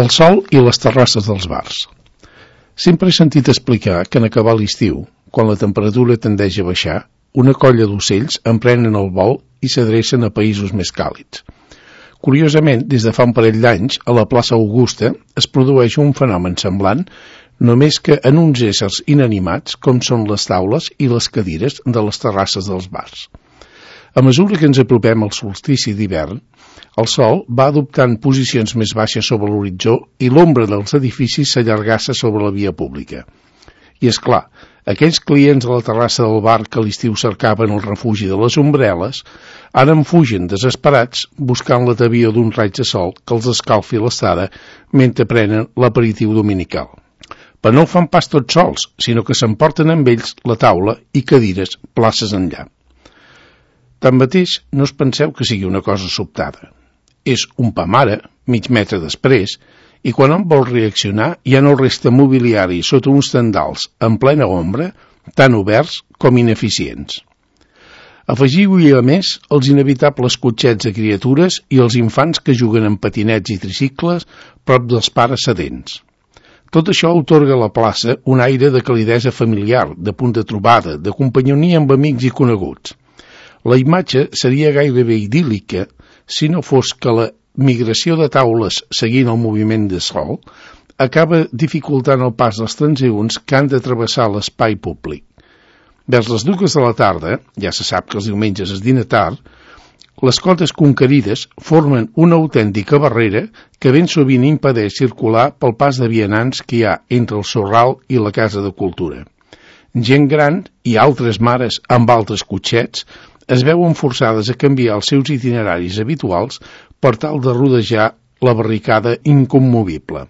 El sol i les terrasses dels bars. Sempre he sentit explicar que en acabar l'estiu, quan la temperatura tendeix a baixar, una colla d'ocells emprenen el vol i s'adrecen a països més càlids. Curiosament, des de fa un parell d'anys, a la plaça Augusta es produeix un fenomen semblant, només que en uns éssers inanimats com són les taules i les cadires de les terrasses dels bars. A mesura que ens apropem al solstici d'hivern, el sol va adoptant posicions més baixes sobre l'horitzó i l'ombra dels edificis s'allargassa sobre la via pública. I és clar, aquells clients a la terrassa del bar que a l'estiu cercaven el refugi de les ombreles, ara en fugen desesperats buscant l'atavió d'un raig de sol que els escalfi l'estada mentre prenen l'aperitiu dominical. Però no ho fan pas tots sols, sinó que s'emporten amb ells la taula i cadires places enllà. Tanmateix, no us penseu que sigui una cosa sobtada. És un pa mare, mig metre després, i quan hom vol reaccionar ja no resta mobiliari sota uns tendals en plena ombra, tan oberts com ineficients. Afegiu-hi a més els inevitables cotxets de criatures i els infants que juguen en patinets i tricicles prop dels pares sedents. Tot això atorga a la plaça un aire de calidesa familiar, de punt de trobada, de companyonia amb amics i coneguts. La imatge seria gairebé idíl·lica si no fos que la migració de taules seguint el moviment de sol acaba dificultant el pas dels transeünts que han de travessar l'espai públic. Vers les 2 de la tarda, ja se sap que els diumenges es dina tard, les cotes conquerides formen una autèntica barrera que ben sovint impedeix circular pel pas de vianants que hi ha entre el Sorral i la Casa de Cultura. Gent gran i altres mares amb altres cotxets es veuen forçades a canviar els seus itineraris habituals per tal de rodejar la barricada incommovible.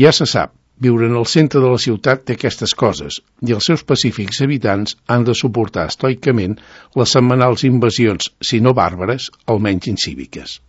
Ja se sap, viure en el centre de la ciutat té aquestes coses i els seus pacífics habitants han de suportar estoicament les setmanals invasions, si no bàrbares, almenys incíviques.